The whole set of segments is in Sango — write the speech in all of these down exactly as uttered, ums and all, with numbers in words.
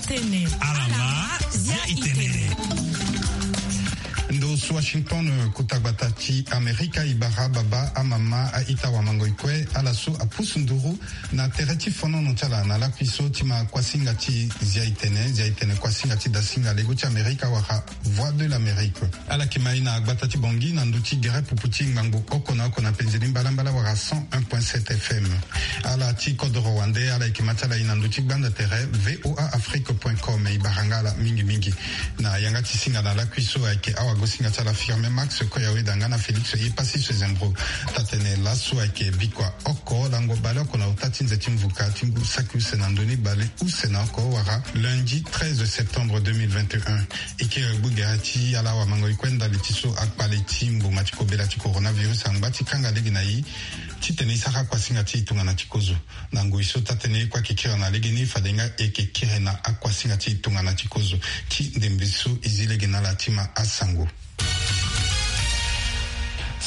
Tene. Ala ma zia itene. Ndo su Washington, kota gbata ti Amerika, e bara baba, amama, a-ita, wamangoi kue, ala so apusu nduru na tere ti fonono ti ala na lakui so ti ma kuasinga ti zia itene, zia itene kuasinga ti dasinga lego ti Amerika wala Voix de l'Amérique. Ala yeke ma e na gbata ti Bangui na ndö ti gere pupu ti ngbangbo oko na oko na penze ni mbalambala wala cent un point sept F M. Ala ti kodoro wande, ala yeke ma ti ala e na ndö ti gbanda tere V O A Afrique point com. E bara nga ala mingi mingi. Na yanga ti singa na lakui so ayeke awagosinga ti ala Firmin Max Koyaweda nga na Félix Yepassis Sezembro. Taa-tene laso ayeke bikua oko lango baleoko na ota ti nze ti mvuka ti ngu saki use na ndö ni baleuse na oko wala lundi treize septembre deux mille vingt et un. E kiri gbu gere ti ala wamangoi kue ndali ti so akpale ti mboma ti kobela ti coronavirus angba ti kanga lege na e titene e sara akuasinga ti e tongana ti kozo. Na ngoi so taa-tene e kue ayeke kiri na legeni, fade nga e yeke kiri na akuasinga ti e tongana ti kozo. Ti ndembe so e zi lege na ala ti ma asango.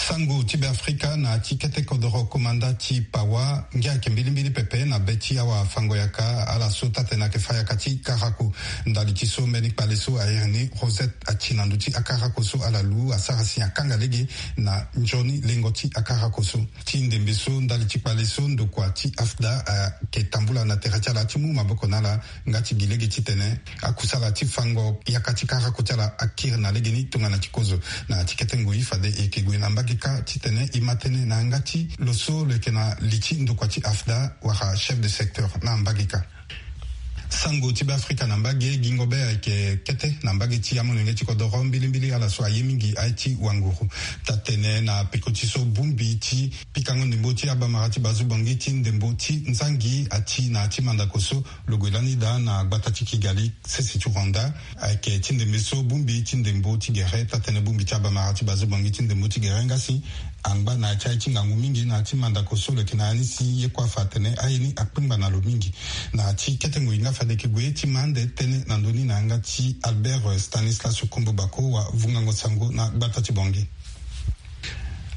Sango ti Beafrika na ya ti kete kodoro komanda ti Pawa ngia ayeke mbilimbili pepe na be ti awafango-yaka, ala so taa-tene ayeke fa yaka ti karako. Ndali ti so mbeni kpale so a iri ni Rosette ati na ndö ti akarako so ala lu asara si akanga lege na nzoni lengo ti akarako so. Ti ndembe so ndali ti kpale so ndokua ti AFDA ayeke tambula na tere ti ala ti mu maboko na ala nga ti gi lege titene akusala ti fango yaka ti karako ti ala akiri na legeni tongana ti kozo. Na ya ti kete ngoi fade e yeke gue na mbage kâ titene e ma tënë na yanga ti lo so lo yeke na li ti ndokua ti AFDA wala chef de secteur na mbage kâ. Sango ti Beafrika na mbage, gingo be ayeke kete na mbage ti amolenge ti kodoro mbilimbili ala so aye mingi aye ti wanguru. Taa-tene na peko ti so bongbi ti pikango ndembo ti abamara ti Bazu Bangui ti ndembo ti nzangi ati na ya ti mandako so lo gue lani daa na gbata ti Kigali, sese ti Rwanda. Ayeke ti ndembe so bongbi ti ndembo ti gere, taa-tene bongbi ti abamara ti Bazu Bangui ti ndembo ti gere nga si angba na ya ti aye ti ngangu mingi na ya ti mandako so lo yeke na ya ni si ye kue afa atene aye ni akpengba na lo mingi. Na ya ti kete ngoi nga fade e yeke gue ti ma ande tënë na ndö ni na yanga ti Albert, eh, Stanislas Kombo Bako wa vungango sango na gbata ti Bangui.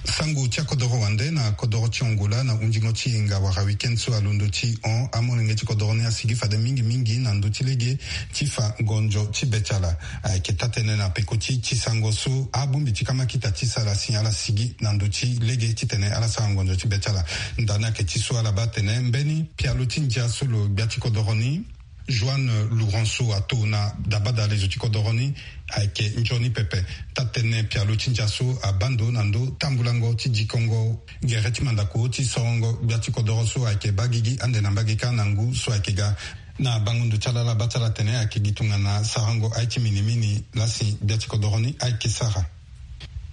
Sango ti akodoro wande na kodoro ti Angola na hundingo ti yenga wala week-end so alondo ti hon, amolenge ti kodoro ni asigi fade mingi mingi na ndö ti lege ti fa ngonzo ti be ti ala. Ayeke taa-tënë na peko ti, ti sango so abongbi ti kamakita ti sala si ala sigi na ndö ti lege titene ala sara ngonzo ti be ti ala. Ndani ayeke ti so ala baa atene mbeni pialo ti ndia so lo gbia ti kodoro ni, Joanne Lourenço, ato na dabada lezo ti kodoro ni ayeke nzoni pepe. Taa-tënë pialo ti ndia so abaa ndo na ndö tambulango ti dikongo gere ti mandako ti sorongo gbia ti kodoro so ayeke baa gigi ande na mbage kâ na ngu so ayeke ga. Na bango ndo ti ala, ala baa ti ala atene ayeke gi tongana sarango aye ti minimini laa si gbia ti kodoro ni ayeke sara.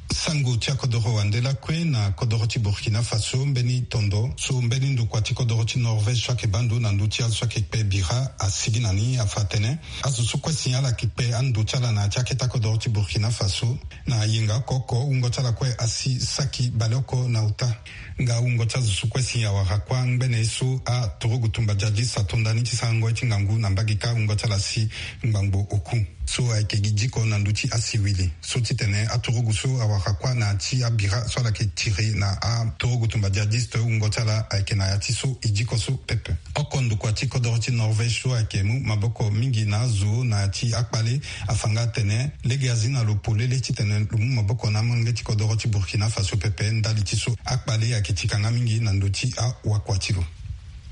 Sango ti akodoro wande lakue na kodoro ti Burkina Faso, mbeni tondo so mbeni ndokua ti kodoro ti Norvège so ayeke baa ndo na ndö ti azo so ayeke kpe bira asigi na ni afa atene azo so kue si ala yeke kpe ando ti ala na ya ti akete akodoro ti Burkina Faso na yenga oko oko wungo ti ala kue asi saki baleoko na ota. Nga wungo ti azo so kue si awara kuâ ngbene ye so aturugu tumba jihadiste ato ndani ti sarango ye ti ngangu na mbage kâ, wungo ti ala si ngbangbo oku so ayeke gi diko na ndö ti asiwili so titene aturugu so awara kuâ na ya ti abira so ala yeke tiri na aturugu tumba jihadiste, wungo ti ala ayeke na ya ti so e diko so pepe. Oko ndokua ti kodoro ti Norvège so ayeke mu maboko mingi na azo na ya ti akpale afa nga atene lege azi na lo polele titene lo mu maboko na amolenge ti kodoro ti Burkina Faso pepe ndali ti so akpale ayeke tika nga mingi na ndö ti awakua ti lo.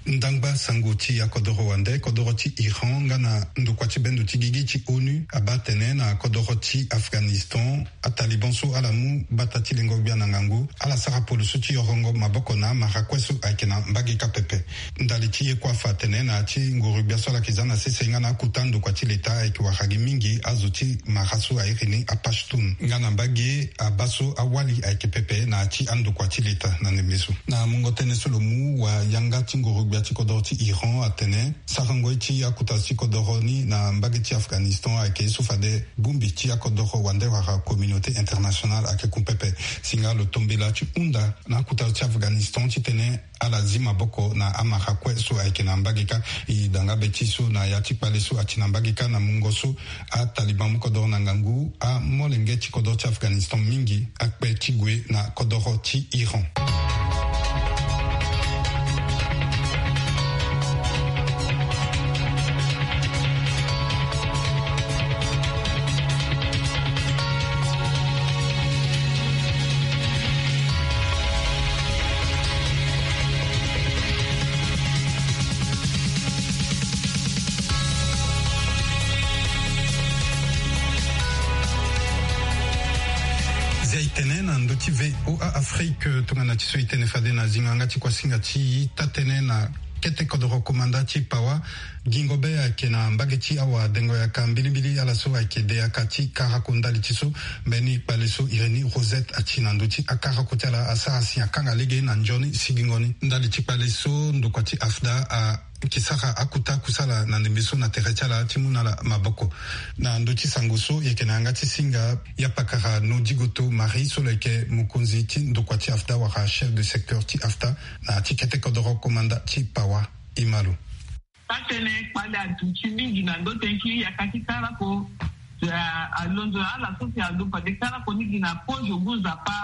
Ndangba sango ti akodoro wande, kodoro ti Iran nga na ndokua ti bendo ti gigi ti ONU abaa atene na kodoro ti Afghanistan, ataliban so ala mu gbata ti lengo gbia na ngangu ala sara poloso ti yorongo maboko na amara kue so ayeke na mbage kâ pepe. Ndali ti ye kue afa atene na ya ti nguru gbia so ala yeke za na sese nga na akota ndokua ti leta ayeke wara gi mingi azo ti mara so a iri ni aPashtun nga na mbage abaa so awali ayeke pepe na ya ti andokua ti leta na ndembe so. Na mungo tënë so lo mu, wayanga ti nguru gbia ti kodoro ti Iran atene sarango ye ti akuta ti kodoro ni na mbage ti Afghanistan ayeke ye so fade bongbi ti akodoro wande wala communauté internationale ayeke ku pepe. Si nga lo tombela ti hunda na akuta ti Afghanistan titene ala zi maboko na amara kue so ayeke na mbage kâ. E da nga be ti so na ya ti kpale so ati na mbage kâ na mungo so ataliban mu kodoro na ngangu, amolenge ti kodoro ti Afghanistan mingi akpe ti gue na kodoro ti Iran. Na ndö ti VOA Afrique, tongana ti so e tene fade na zingo yanga ti kuasinga ti ita tënë na kete kodoro komanda ti Pawa. Gingo be ayeke na mbage ti awadengo yaka mbilimbili ala so ayeke de yaka ti karako ndali ti so mbeni kpale so Irénée Rosette ati na ndö ti akarako ti ala asara si akanga lege na nzoni sigingo ni. Ndali ti kpale so ndokua ti AFDA a yeke sara akuta kusala na ndembe so na tere ti ala ti mu na ala maboko. Na ndö ti sango so e yeke na yanga ti singa, ya pakara Nodigoto Marie so lo yeke mokonzi ti ndokua ti AFDA wala chef de secteur ti AFDA na ti kete kodoro komanda ti Pawa. E ma lo. Taa-tënë kpale aduti mingi na ndo tënë ti yaka ti karako. Alondo na ala so si alo fade karako ni gi na pozo ngu nzapa.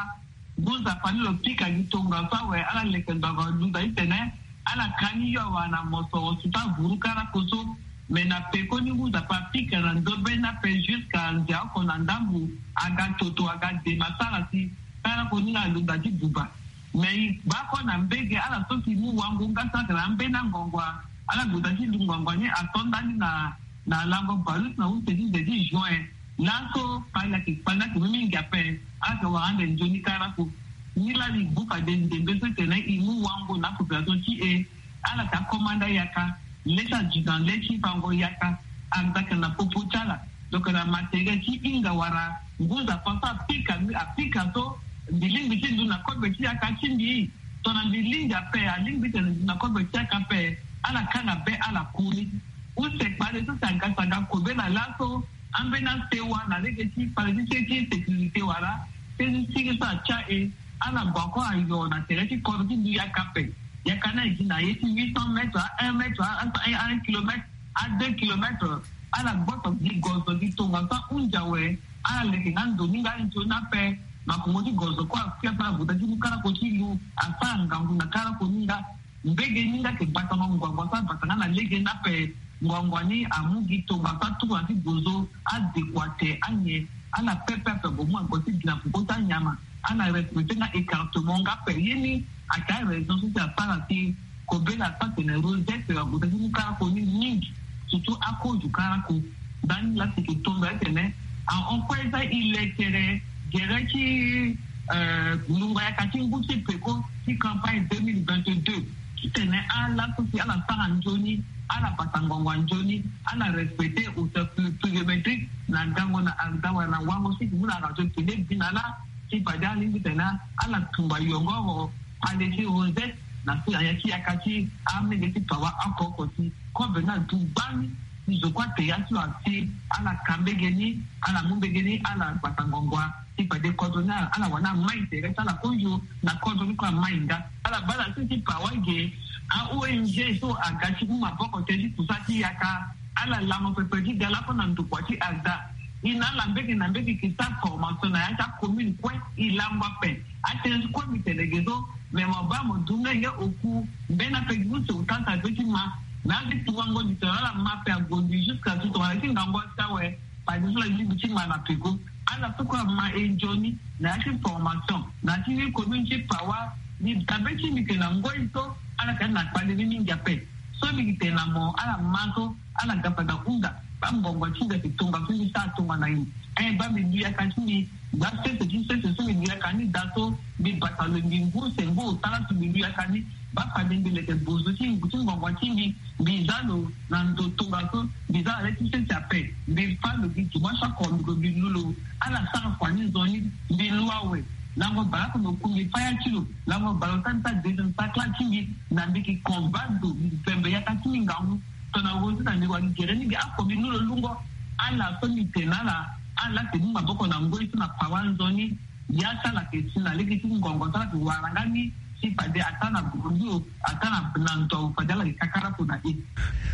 Ngu nzapa ni lo pika gi tongaso awe, ala leke ngbanga lo duta ti tene ala ka ni yo awe na mosoro surtout avuru karako so. Me na peko ni ngu nzapa apika na ndo be ni ape jusqu'à nze oko na ndambu, aga toto aga dema sara si karako ni alondo ti buba. Me e baa kue na mbege ala so si mu wango nga sara na ambeni angongua, ala gue da ti lu ngongua ni ato ndani na na lango baleuse na use ti nze ti juin. Laso kpale ayeke kpale ni ayeke mu mingi ape. Ala yeke wara ande nzoni karako. Ni laa e bu fade ndembe so tene e mu wango na apopulation ti e. Ala yeke akomanda yaka, le ti aduti na le ti fango yaka. Aza yeke na popo ti ala, lo yeke na matériel ti hinga wala ngu nzapa so apika apika so. Mbi lingbi ti lu na kobe ti yaka ti mbi. Tongana mbi lingbi ape, alingbi ti tene na kobe ti yaka ape. Ala kanga be ala ku ni. Use kpale so si aga si aga kobe na laso, ambeni asewa na lege ti kpale ti se ti sécurité wala se ti sigi so atia e. Ala gue ako ayo na tere ti kodro ti du yaka ape. Yaka ni ayeke na ye ti huit cents mètres a un mètre a un kilomètre a deux kilomètres. Ala gboso gi gozo gi tongaso ahunzi awe. Ala leke nga ndo ni nga nzoni ape. Makongo ti gozo kue akui ape, ala gue da ti mu karako ti lu, asara ngangu na karako ni nga. Mbege ni nga ayeke gbatango ngbangba so abata nga na lege ni ape. Ngbangba ni amu gi tongaso atuku na ti gozo, adekua te anyen. Ala pepe ape, gue mu ague ti gi na peko ti anyama. Ala respecte nga écartement nga ape. Ye ni ayeke araison so si asara si kobela so atene Rosette ague da ti mu karako ni mingi. Surtout akozo karako. Ndani laa si e yeke tondo atene ahon kue za e lekere gere ti eh, lungo yaka ti ngu ti peko ti campagne deux mille vingt-deux. Ti tene ala so si ala sara nzoni, ala bata ngbangba nzoni, ala respecte hauteur pluviométrique na gango na AFDA wala na wango so e yeke mu na radio tene bi na ala. Ti fade alingbi tene ala tumba yongoro kpale ti Rosette na so na ya ti yaka ti amenge ti Pawa oko oko ti kobe ni adu gbani. Ti zo kue ate ya ti lo asi ala ka mbege ni, ala mu mbege ni, ala gbata ngbangba. Ti fade kodro ni ala, ala wani amai tere ti ala kozo na kodro ni kue amai nga. Ala baa na se ti Pawa ge, a-ONG so aga ti mu maboko te ti kusa ti yaka. Ala lango pepe ti ga lakue na ndokua ti AFDA. E na ala mbege na mbege e ke sara formation na ya ti acommune kue. E lango ape. Atënë ti kue mbi tene ge so, me mo baa mo du nga nge oku mbeni ape gi use ota sa be ti ma. Na ade ti wango di tene ala ma ape ague mbi jusqu'à ti tongana ti ngangu asa awe. Fade so la lingbi ti ma na peko. Ala so kue ama e nzoni na ya ti formation na ya ti ni commune ti Pawa. Mbi dabe ti mbi yeke na ngoi so ala yeke na kpale ni mingi ape. So mbi yeke tene na mo ala ma so ala ga fade ahunda. Baa ngbongo ti nda yeke tongaso mbi sara tongana nyen? Eh, baa mbi lu yaka ti mbi. Baa sese ti sese so mbi lu yaka ni daa so mbi bata lo mbi ngu se ngu ota laso mbi lu yaka ni. Baa fade mbi leke bozo ti ngu ti ngbongo ti mbi. Mbi za lo na ndo tongaso. Mbi za na le ti sese ape. Mbi fa lo gi dimanche oko mbi gue mbi lu lo. Ala sara kua ni nzoni. Mbi lu awe. Lango baleoko na oku mbi fa ya ti lo. Lango baleota mbi sara deuxième sacla ti mbi. Na mbi yeke combat ndo mbi pembe yaka ti mbi ngangu. Tongana wo so na mbi wani gere ni mbi ako mbi lu lo lungo. Ala so mbi tene na ala. Ala yeke mu maboko na ngoi so na Pawa nzoni. Ya ti ala yeke si na lege ti ngongo so ala yeke wara nga ni. Ti fade ata na gurundu ata na na ndo fade ala yeke kakara kona e.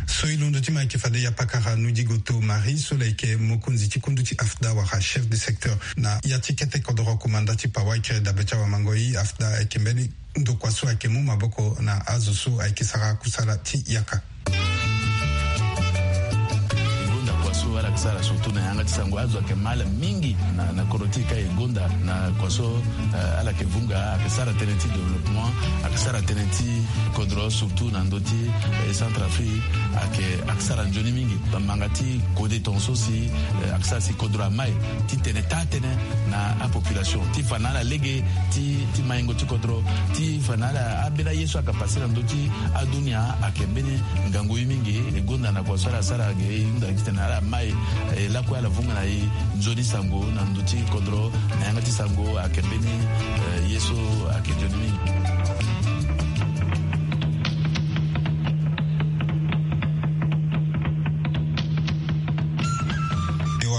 So e londo ti ma ayeke fade ya pakara Nodigoto Marie so lo yeke mokonzi ti kundu ti AFDA wala chef de secteur na ya ti kete kodoro komanda ti Pawa. Ayeke dabe ti awamango-i AFDA ayeke mbeni ndokua so ayeke mu maboko na azo so ayeke sara kusala ti yaka. Sara surtout na yanga ti sango, azo ayeke mal mingi na, na kodro ti e ka e gonda na kua so, eh, ala yeke vunga, ayeke sara tënë ti développement, ayeke sara tënë ti kodro, surtout na ndö ti, eh, Centrafrique, ayeke, ayeke sara nzoni mingi. Bamanga ti kode tongaso si, eh, ayeke sara si kodro amai ti tene taa tënë na apopulation ti fa na ala lege ti, ti maingo ti kodro, ti fa na ala ambeni aye so ayeke pase na ndö ti adunia, ayeke mbeni ngangu ye mingi. E gonda na kua so ala sara ge, e hunda titene ala mai, eh, lakue ala vunga na e nzoni sango na ndö ti kodro, na yanga ti sango ayeke mbeni, eh, ye so ayeke nzoni mingi.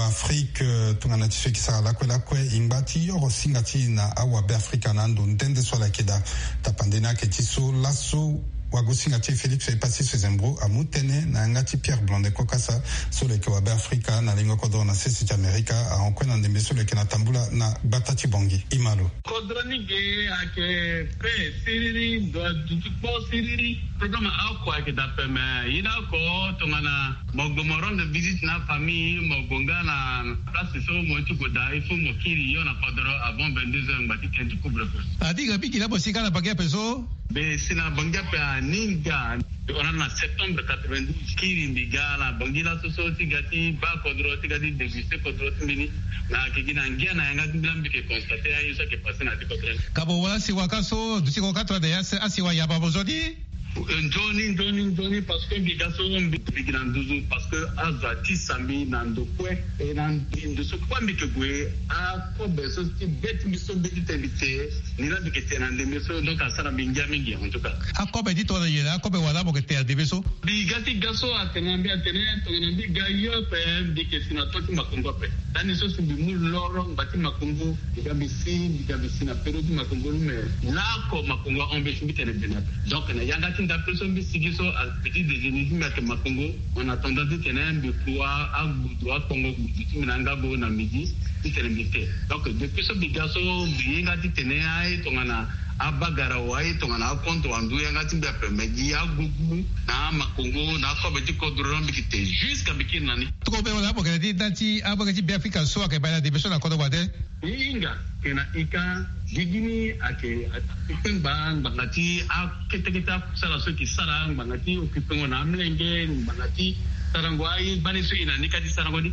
Afrique, eh, tongana ti so e ke sara lakue lakue, e ngba ti yoro singa ti e na awabe Afrika na ando nde nde so ala yeke daa. Tapande ni ayeke ti so laso wagosinga ti e Félix Epassi Sezembro amu tënë na yanga ti Pierre Blondet Kokasa so lo yeke wabe Afrika na lengo kodro na sese ti Amerika, ahon kue na ndembe so lo yeke na tambula na gbata ti Bangui. E ma lo. Kodro ni ge ayeke pe siriri, ndo aduti kpo siriri. Problème oko ayeke daa ape, mais ye ni oko tongana mo gue mo rendre visite na afamille, mo gue nga na place so mo ye ti gue daa, il faut mo kiri yo na kodro avant vingt-deux heures, ngba ti tene ti couvre-feu. Adiga mingi laa mo si ga na Bangui ape so? Mbi si na Bangui ape aninga. Wana na septembre quatre-vingt-douze, kiri mbi ga na Bangui laso so ti ga ti baa kodro, ti ga ti déguster kodro ti mbi ni. Na ayeke gi na ngia na yanga ti mbi laa mbi yeke constater aye so ayeke passer na ya ti kodro ni. Ka mo wara asiwa ka so, duti kodro ka tongana ya asiwa yamba mo zo ni? Eh, nzoni, nzoni, nzoni, parce que mbi ga so mbi, mbi gi na nduzu, parce que azo atisa mbi na ndo kue, e na ndo so kue mbi yeke gue, akobe so ti be ti mbi so mbi ti tene mbi te, ni laa mbi yeke te na ndembe so, donc asara mbi ngia mingi, en tout cas. Akobe ti tongana nyen, akobe wala mo yeke te na ndembe so? Mbi ga ti ga so atene na mbi atene, tongana mbi ga yo ape, mbi yeke si na to ti makongo ape. Lani so si mbi mu loro ngba ti makongo, mbi ga mbi si, mbi ga mbi si na pero ti makongo ni, me laoko makongo ahon mbi si mbi tene bene ape. Donc na yanga ti ndape so mbi sigi so, a petit déjeuner ti mbi ayeke makongo, en attendant titene mbi ku a, agbudu, akpongo gbudu ti mbi na yanga go na midi, titene mbi te. Donc depuis so mbi ga so, mbi hinga titene aye tongana abagara wa aye tongana akonto wa ndu yanga ti mbi ape, me gi agugu na amakongo na akobe ti kodro na mbi yeke te jusqu'à mbi kiri na ni. Toko be wala abo yeke na ti da ti abo yeke ti Beafrika so ayeke baa na ndembe so na kodro wande. E hinga, e na e ka, gigi ni ayeke, ayeke kpengba ngbanga ti akete kete asara so e ke sara, ngbanga ti okipengo na amolenge, ngbanga ti sarango aye gbani so e na ni ka ti sarango ni.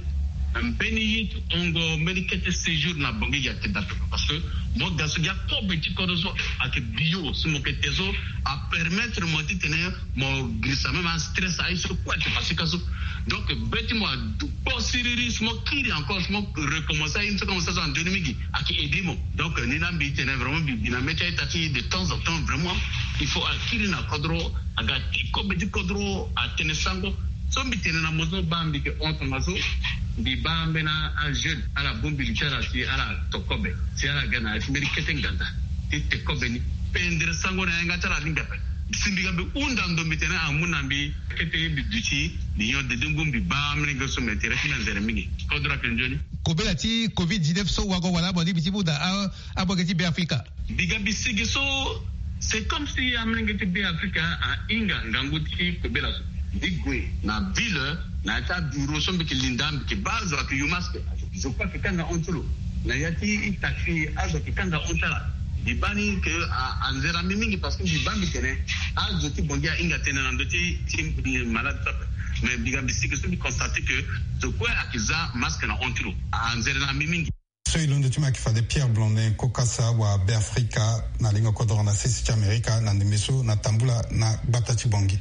Mbeni ye ti hongo mbeni kete séjour na Bangui ayeke daa pepe, parce que mo ga so gi akobe ti kodro so ayeke bio so mo yeke te so apermettre mo titene mo girisa même astress aye so kue ayeke pase ka so. Donc be ti mo adu kpo siriri, si mo kiri encore, si mo recommencer aye ni so ka mo sara so anzoni mingi, ayeke aider mo. Donc ni laa mbi tene vraiment mbi bi na mê ti aita ti de temps en temps vraiment il faut akiri na kodro, aga ti kobe ti kodro atene sango. So mbi tene na mo so baa mbi yeke hon tongaso, mbi baa ambeni ajeune ala bongbi li ti ala si ala to kobe, si ala ga na ya ti mbeni kete nganza ti te kobe ni, pendere sango na yanga ti ala alingbi ape. Si mbi ga mbi hunda ndo mbi tene amu na mbi kete ye mbi duti mbi nyon dede ngu mbi baa amolenge so me tere ti mbi anzere mingi. Kodro ayeke nzoni. Kobela ti covid dix-neuf so wago wala abo ni mbi ti mu na a, abo yeke ti Beafrika. Mbi ga mbi sigi so, c'est comme si amolenge ti Beafrika ahinga ngangu ti kobela so. Mbi gue na ville, na ya ti abureau so mbi yeke linda, mbi yeke baa azo ayeke yu masque. Zo kue ayeke kanga hon ti lo. Na ya ti taxi azo ayeke kanga hon ti ala. Mbi baa ni ke a, anzere na mbi mingi parce que mbi baa mbi tene azo ti Bangui ahinga tënë na ndö ti, ti malade so ape. Mais mbi ga mbi sigi so mbi constate que zo kue ayeke za masque na hon ti lo. Anzere na mbi mingi. So e londo ti mbi ayeke fade Pierre Blondin Kokasa wa Beafrika na lengo kodoro na sese ti Amerika na ndembe so na tambula na gbata ti Bangui.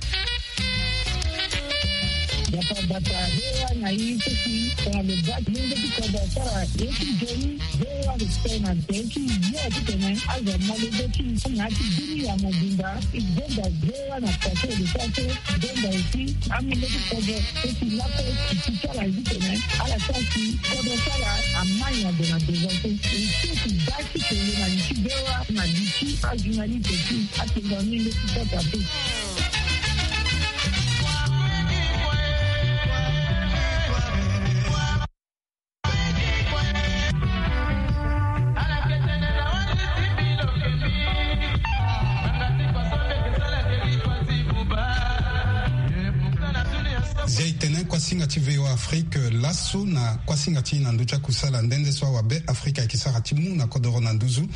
Gbata gbata, V O A na ye so si tongana lo baa ti lenge ti kodro asara ye ti nzoni, V O A respect na nze ti ye titene azo amolenge ti na ya ti bini ya mobimba. E gonda V O A na kua so e lo sara so, e gonda aussi amolenge ti kodro so si lakue e ti ti ala ye titene ala sara si kodro ti ala amai na gue na devant so. E ti e ti baa ti kele na li ti V O A na li ti ajournaliste ti atenga mingi ti kota pe. Zia e tene kua singa ti V O A. Afrique laso na kuasinga ti na ndö ti akusala nde nde so awabe Afrika ayeke sara ti mu na kodoro na nduzu.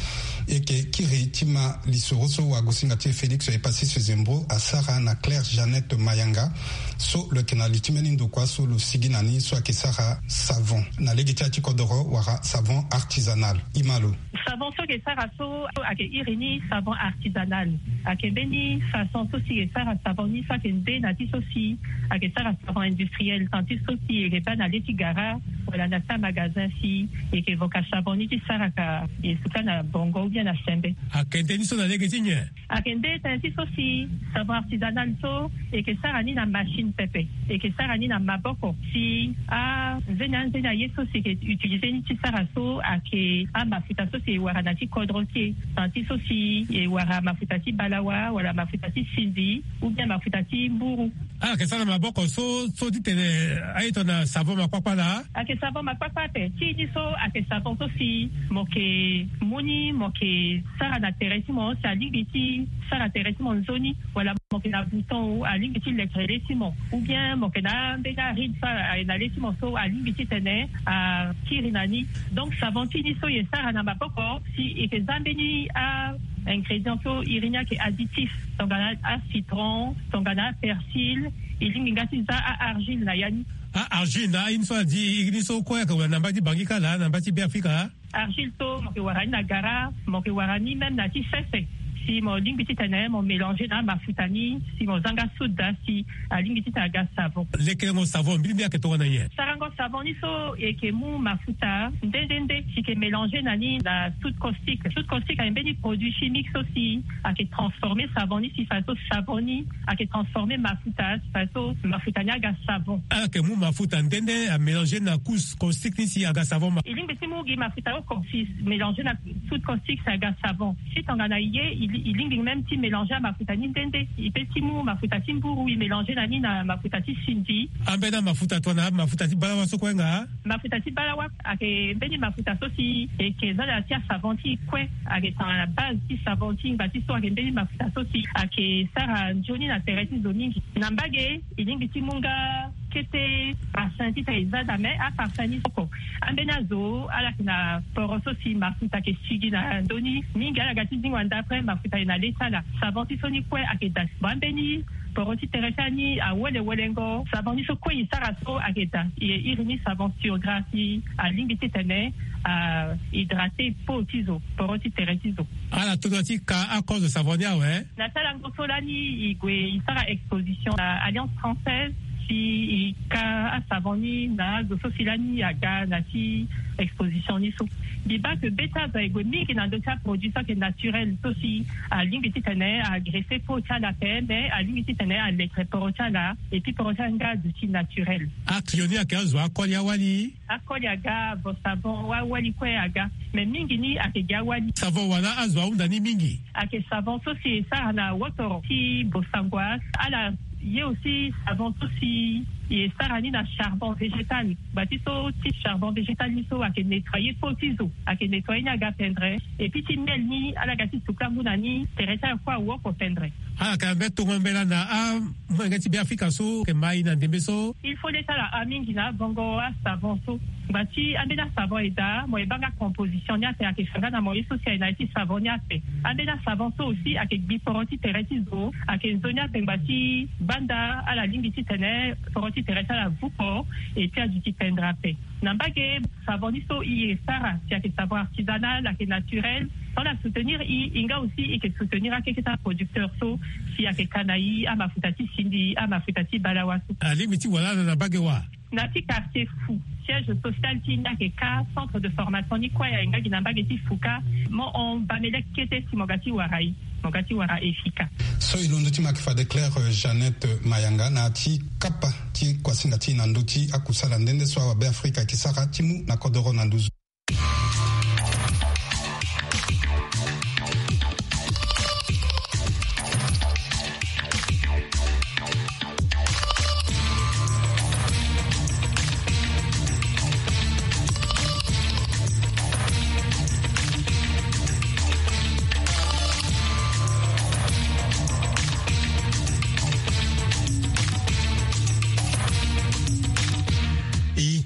E yeke kiri ti ma lisoro so wagosinga ti e Félix Epasis Zembro asara na Claire Jeannette Mayanga, so lo yeke na li ti mbeni ndokua so lo sigi na ni so ayeke sara savon na lege ti ya ti kodoro wala savon artisanal. I ma lo. Savon so ayeke sara so ayeke iri ni savon artisanal. Ayeke mbeni façon so si e sara savon ni so ayeke nde na ti so si ayeke sara savon industriel, tant ti so si e yeke baa na le ti gara wala na ti amagazin si e yeke voka savon ni ti sara ka e suka na bongo ou bien na sembe. Ayeke nde ni so na lege ti nyen? Ayeke nde tënë ti so si savon artisanal so e yeke sara ni na machine pepe, e yeke sara ni na maboko. Si anzeni anzeni aye so si e yeke utiliser ni ti sara so ayeke amafuta so si e wara na ti kodro ti e, tant ti so si e wara mafuta ti balawa wala mafuta ti sindi ou bien mafuta ti mburu. Ala yeke sara na maboko so so ti tene aye tongana savon makpakpa laa? Ayeke savon makpakpa ape. Ti ni so ayeke savon so si mo yeke mu ni, mo yeke sara na tere ti mo si alingbi ti sara tere ti mo nzoni, wala mo yeke na bouton o alingbi ti lekere le ti mo, ou bien mo yeke na ambeni aride so aye na le ti mo so alingbi ti tene akiri na ni. Donc savon ti ni so e sara na maboko si e yeke za mbeni a ingrédients so iri ni ayeke additifs, tongana acitron, tongana apersil, e lingbi nga ti za a-argile na ya ni. A-argile na aye ni so adi iri ni so kue ayeke wara na mba ti Bangi kâ laa, na mba ti Beafrika? Argile so mo yeke wara ni na gara, mo yeke wara ni même na ti sese. Si mo lingbi ti tene mo mélanger na amafuta ni si mo za nga soude, si alingbi ti tene aga savon. Lekerengo savon mbirimbiri ayeke tongana nyen? Sarango savon ni so e yeke mu mafuta nde nde nde si e yeke mélanger na ni na soude caustique. Soude caustique ayeke mbeni produit chimique so si ayeke transformer savon ni si fadeso savon ni ayeke transformer mafuta si fadeso mafuta ni aga savon. Ala yeke mu mafuta nde nde amélanger na couche caustique ni si aga savon ma. E lingbi ti mu gi mafuta oko si mélanger na soude caustique si aga savon. Si tongana e ye, e li-, e lingbi même ti mélanger amafuta ni nde nde. E peut ti mu mafuta ti mburu e mélanger na ni na mafuta ti sindi. Ambeni amafuta tongana mafuta ti balawa so kue nga? Mafuta ti balawa ayeke mbeni mafuta so si e yeke za na ya ti asavon ti e kue. Ayeke tongana base ti savon ti e ngba ti so ayeke mbeni mafuta so si ayeke sara nzoni na tere ti zo mingi. Na mbage e lingbi ti mu nga kete parfum ti tene e za daa, me aparfum ni so oko. Ambeni azo ala yeke na poro so si mafuta ayeke sigi na ndö ni mingi, ala ga ti zingo na ndapre mafuta ayeke na le ti ala. Savon ti so ni kue ayeke daa. Bon, ambeni poro ti tere ti ala ni awelengo. Savon ni so kue e sara so ayeke daa. E iri ni savon sur gras si alingbi ti tene a hydrater peau ti zo, poro ti tere ti zo. Ala to na ti ka akozo savon ni awe? Na ti alango so lani e gue e sara exposition na Alliance Française, si e ka asavon ni na azo so si lani aga na ti exposition ni so. Mbi baa ke be ti azo aye gue mingi na ndö ti aproduit so ayeke naturel so si alingbi ti tene a agresser peau ti ala ape, me alingbi ti tene a lekere poro ti ala, et puis poro ti ala nga aduti naturel. Aclio ni ayeke azo akoli awali? Akoli aga, vo savon, awali kue aga. Me mingi ni ayeke gi awali. Savon wala azo ahunda ni mingi? Ayeke savon so si e sara na wotoro ti bosangwa. Ala ye aussi savon so si e sara ni na charbon végétal. Ngba ti so ti charbon végétal ni so ayeke nettoyer peau ti zo, ayeke nettoyer ni aga pendre. Et puis ti miel ni ala ga ti suka ngu na ni, tere ti ala kue awoko pendre. Ala yeke na mbeni tongo mbela na amolenge ti Beafrika so ayeke ma e na ndembe so? Il faut le ti ala hâ mingi na abongo asavon so. Ngba ti ambeni asavon e daa, mo ye baa nga composition ni ape, ayeke fa nga na mo ye so si aye na ya ti savon ni ape. Ambeni asavon so aussi ayeke gbi poro ti tere ti zo, ayeke nzoni ape ngba ti banda ala lingbi ti tene poro ti tere ti ala vuko, et puis aduti pendre ape. Na mbage savon ni so e ye e sara si ayeke savon artisanal, ayeke naturel. Tongana ala soutenir e, e nga aussi e yeke soutenir akeke ti aproducteur so si ayeke ka na e amafuta ti sindi, amafuta ti balawa so. Alingbi ti wara ala na mbage wa? Na ti quartier Fou, siège social ti e ni ayeke ka, centre de formation ni kue aye nga gi na mbage ti Fou ka. Mo hon Bamele kete si mo ga ti wara e, mo ga ti wara Efika. So e londo ti mo ayeke fade Claire, euh, Jeannette Mayanga na ya ti kapa ti kuasinga ti e na ndö ti akusala nde nde so awabe Afrika ayeke sara ti mu na kodoro na nduzu.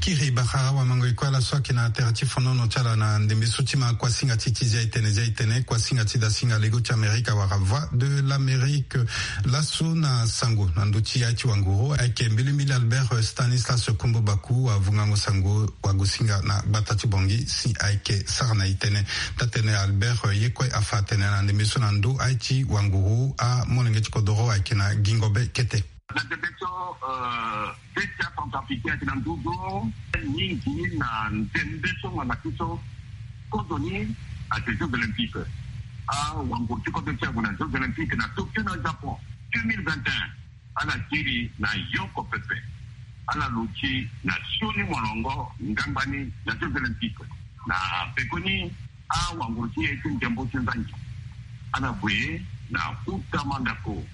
Kiri bara wamango e kue ala so ayeke na tere ti fonono ti ala na ndembe so ti ma kuasinga ti ti zia etene zia etene kuasinga ti dasinga lego ti amerika wala voix de l'amérique. Laso na sango na ndö ti aye ti wanguru ayeke mbilimbili albert stanislas kombo baku wavungango sango wagosinga na gbata ti bongi si ayeke sara na etene. Tatene albert ye kue afa atene na ndembe so na ndö aye ti wanguru amolenge ti kodoro ayeke na gingo be kete. Na ndembe so, euh, be ti acentrafricain ayeke na nduzu mingi na ndembe so ngbanga ti so. Kozo ni ayeke jeux olympiques. Awanguru ti kodro ti ague na jeux olympiques na tokyo na japon deux mille vingt et un. Ala kiri na yoko pepe. Ala luti na sioni molongo ngangbani na jeux olympiques. Na pekoni awanguru ti e ti ndembo ti nzangi. Ala gue na kuta mandako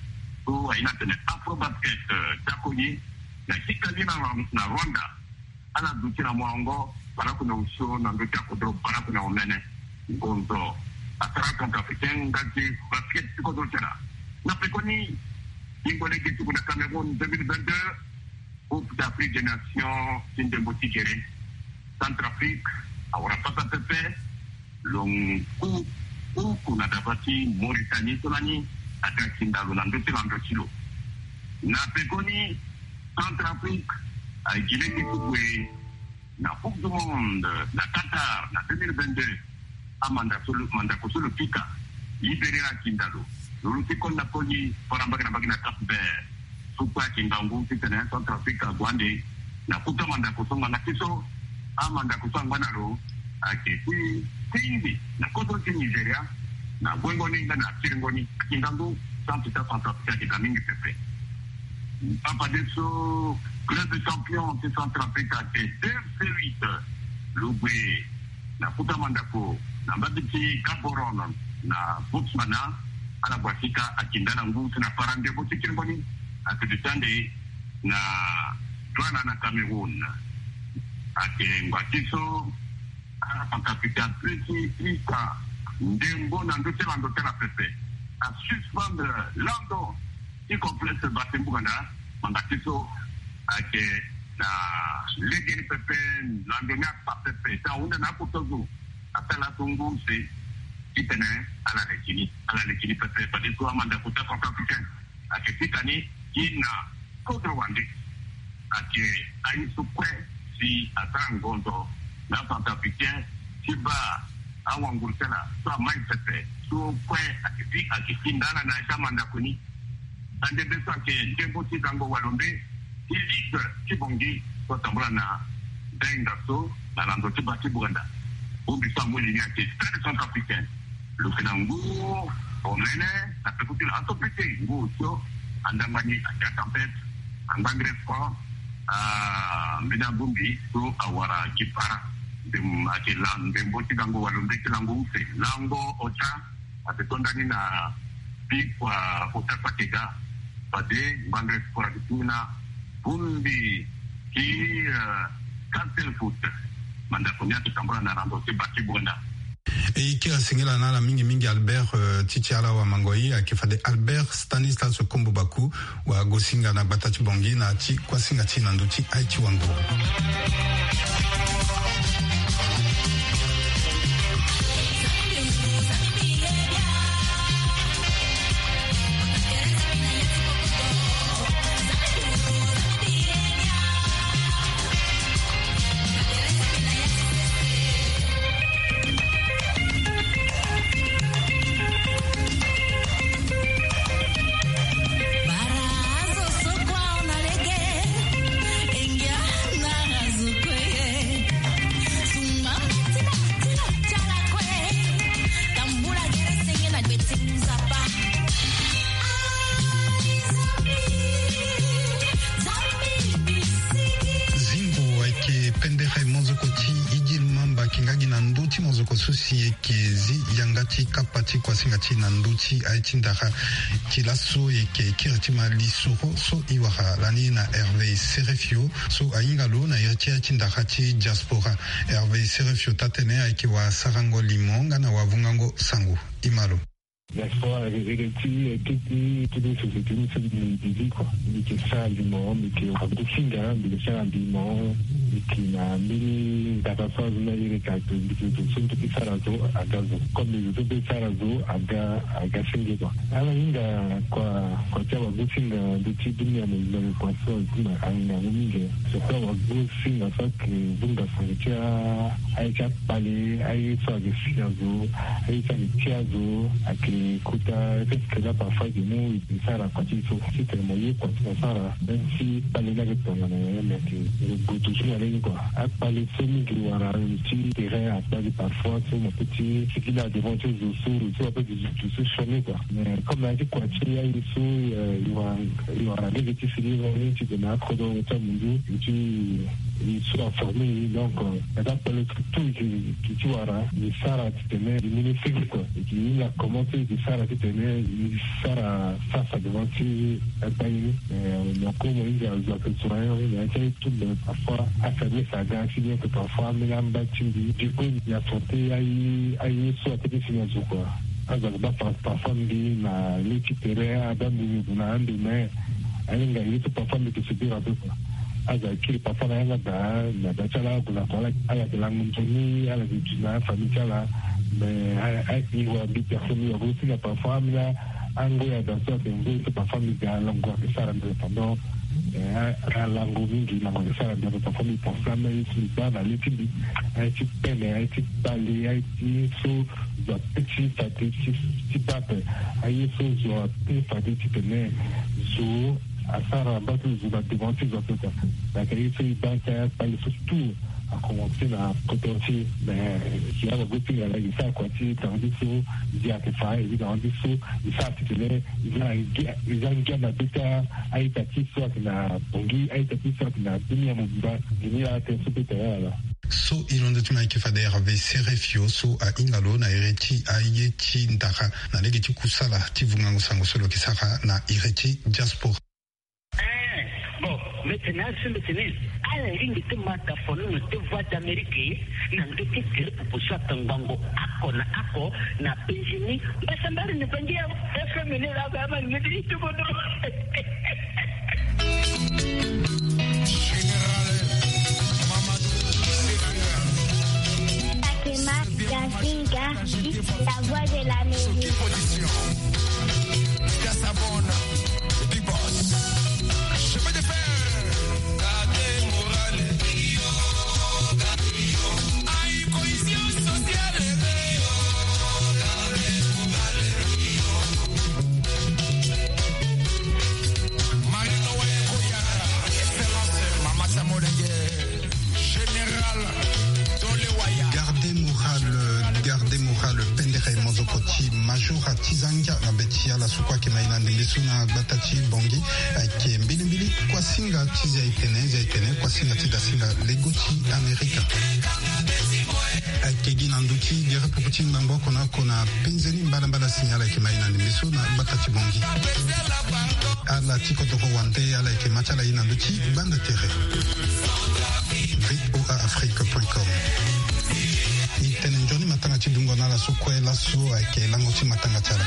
so aye na tene afrobasket, eh, dako ye na sika li na, na rwanda. Ala duti na molongo baraku na osio na ndö ti akodro baraku na omene. Ngonzo asara centrafricain nga ti basket ti kodro ti ala. Na pekoni bingo lege ti gue na cameroun deux mille vingt-deux. Coupe d'Afrique des Nations ti ndembo ti gere. Centrafrique awara pasa pepe. Lo ngu uku na daba ti Mauritanie so lani aga kinda lo na ndö ti lando ti lo. Na pekoni Centrafrique aye gi lege ti gue na Coupe du Monde na Qatar na deux mille vingt-deux. Amanda so lo, mandako so lo pika libéré akinda lo. Lo luti koli na koli fara mbage na mbage na Cap Vert. So kue ayeke ngangu titene Centrafrique ague ande na kuta mandako so ngbanga ti so amandako so angba na lo ayeke ti tingbi na kodro ti Nigeria. Na guengo ni nga na kiringo ni ayeke ngangu. Santu ti aCentrafrique ayeke ga mingi pepe. Afadeso club champion ti Centrafrique ayeke deux zéro huit. Lo gue na kuta mandako na mbage ti Gaborone na Botswana. Ala gue asika akinda na ngu si na para ndembo ti kiringo ni. Ayeke duti ande na Douala na Cameroun. Ayeke ngba ti so ala Centrafricain ape ti ita ndembo na ndö ti lando ti ala pepe. Asuspendre lando ti complexe Basse Bouganda. Ngbanga ti so ayeke na legeni pepe. Lando ni akpa pepe si ahunda na akota zo. Asara laso ngu use titene ala leke ni, ala leke ni pepe. Fadeso amandako ti aCentrafricain ayeke fika ni gi na kodro wande. Ayeke aye so kue si asara ngonzo na aCentrafricain ti baa awanguru ti ala so amai pepe. So kue ayeke fi, ayeke fi ndala na ya ti amandako ni. Ande be so ayeke ndembo ti gango walombe ti ligue ti bongi so atambula na dainga so na lando ti ba ti buganda. Bongbi so amu li ni ayeke Stade Centrafricain. Lo yeke na ngu omene na peko ti lo aso pete ngu osio andangba ni ayeke atempête. Angbangre franc. Ah, mbeni abongbi so awara gi para. Ndem ayeke la ndembo ti gango walombe ti lango use lango ota. Ate to ndani na bi kua ota kpakega. Fade ngbangre kua ti tungana bongbi ti, eh, Castel Foot. Mandako ni ate tambula na rando ti ba ti buganda. E kiri asengela na ala mingi mingi albert, eh, ti ti ala wamango ye ayeke fade albert stanislas kombo baku. Wagosinga na gbata ti bongi na ti kuasinga ti na ndö ti aye ti wanguru. Zingo ayeke pendere mozoko ti idil mamba ayeke nga gi na ndö ti mozoko so si e yeke zi yanga ti kapa ti kuasinga ti na ndö ti aye ti ndara. Ti laso e yeke kiri ti ma lisoro so e wara lani na hervé serefio so ahinga lo na iri ti aye ti ndara ti diaspora. Hervé serefio taa-tënë ayeke wasarango limo nga na wavungango sango. E ma lo. Diaspora, e, e, ti, e, ti, ti, ti société ni so mbi, mbi, mbi, quoi. Mbi yeke sara limo, mbi yeke wagu singa, mbi yeke sara limo, mbi yeke na mbeni ndaka so azo ni aye ka, mbi yeke zo so mbi yeke sara zo aga zo. Comme zo so mbi yeke sara zo aga, aga senge, quoi. Ala hinga kua, kua ti awagu singa ndö ti dunia mobimba, kua so azo ni ahinga yango mingi. Surtout awagu singa so ayeke vunga sango ti a, aye ti akpale, aye so ayeke si azo, aye so ayeke ti azo, ayeke kota, est-ce que là parfois ayeke mu e sara kua ti e so, titene mo ye kua ti mo sara, même si kpale ni ayeke tongana nyen, mais ayeke gbutu ti mo lani, quoi. Akpale so mingi wara lo ti terrain, akpale parfois so mo peut ti sigi na devant ti zo so, lo so ape zo so sioni, quoi. Mais comme aye ti kua ti aye so, euh, e wara, e wara lege ti sigi lo ni titene akodro ti amunzu ti e so aforme e, donc, euh, na akpale so tout e yeke, e yeke ti wara, e sara titene e mu ni sigi, quoi. E yeke hinga comment so e yeke sara titene e sara face à devant ti akpale ni. Euh, na ko mo hinga zo ayeke zo na ye, na ya ti aye tout, mais parfois afaiblesse aga si bien que parfois ambeni amba ti mbi. Du coup, e affronter aye, aye so apeut ti si na zo, quoi. Azo ayeke baa par-, parfois mbi na le ti tere, abaa mbi mbi na ando, mais ahinga ye so parfois mbi yeke subir un peu, quoi. Azo ayeke kiri parfois na yanga daa, na daa ti ala ague na kua, ala, ala yeke lango nzoni, ala yeke duti na afamille ti ala. Mais a, a, e wara mbi personne, mbi wara aussi na parfois ambeni angoi daa so ayeke ngoi so parfois mbi ga lango ayeke sara mbi pendant, eh, a, alango mingi, lango ayeke sara mbi, parfois mbi pense ambeni ye so mbi baa na le ti mbi, aye ti pene, aye ti kpale, aye ti so zo apeut ti fade ti, ti baa ape, aye so zo apeut fade titene zo asara mbage ti zo na devant ti zo ape, quoi. Donc aye so e baa ti akpale so tout a commencé na poto ti, mais si awagu singa laa e sara kua ti tanga ti so, e yeke fa, e tanga ti so, e sara titene e za ngia, e za ngia na be ti a-ita ti so ayeke na Bangui, a-ita ti so ayeke na dunia mobimba. Nzoni laa tënë so peut ti ala. So e londo ti mo ayeke fade Hervé Serefio so ahinga lo na iri ti aye ti ndara na lege ti kusala ti vungango sango so lo yeke sara na iri ti diaspora. Eh, bon, mbi tene azo, mbi tene ala lingbi ti ma tafono na deux voix d'Amérique na ndö ti tere pupu so ayeke ngbongo oko na oko na penzi ni. Mbasambara ni bangi ya F M ni laa, ba ma ngedi ti kodro. Général Mamadou Sekou. Sakima Gazinga, la voix de l'Amérique. Sous qui position? Gasabon, Big Boss. Chemin de fer. Garde morale. Aïe, cohésion sociale. Marie-Noël Koyara, excellence, Mama Samolenge, Général Dolewaya. Garde morale, garde morale, pendere mozoko ti Major Atizangia na be ti ala so kue ayeke ma e na ndembe so na gbata ti Bangui. Ayeke mbilimbili kuasinga ti Zia Etene, Zia Etene, kuasinga ti dasinga lego ti Amerika. Ayeke gi na ndö ti gere pupu ti ngbangbo oko na oko na penze ni mbalambala si ala yeke ma e na ndembe so na gbata ti Bangui. Ala ti kodoro wande, ala yeke ma ti ala ye na ndö ti gbanda tere. V O A Afrique point com. E tene nzoni matanga ti dungo na ala so kue laso ayeke lango ti matanga ti ala.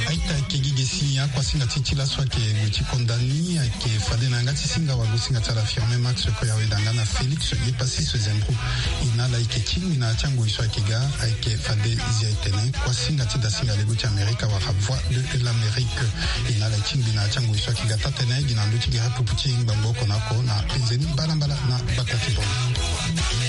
Aita ayeke gi ge si akuasinga ti ti laso ayeke gue ti konda ni ayeke fade na yanga ti singa wagosinga ti ala Firmin Max Koyawe danga na Félix Yepassis Zembrou. E na ala ayeke tingbi na ya ti angoi so ayeke ga ayeke fade Zia Etene, kuasinga ti dasinga lego ti Amerika wala Voix de l'Amérique. E na ala tingbi na ya ti angoi so ayeke ga taa-tënë gi na ndö ti gere pupu ti ngbangbo oko na oko na penze ni mbalambala na gbata ti Bangui.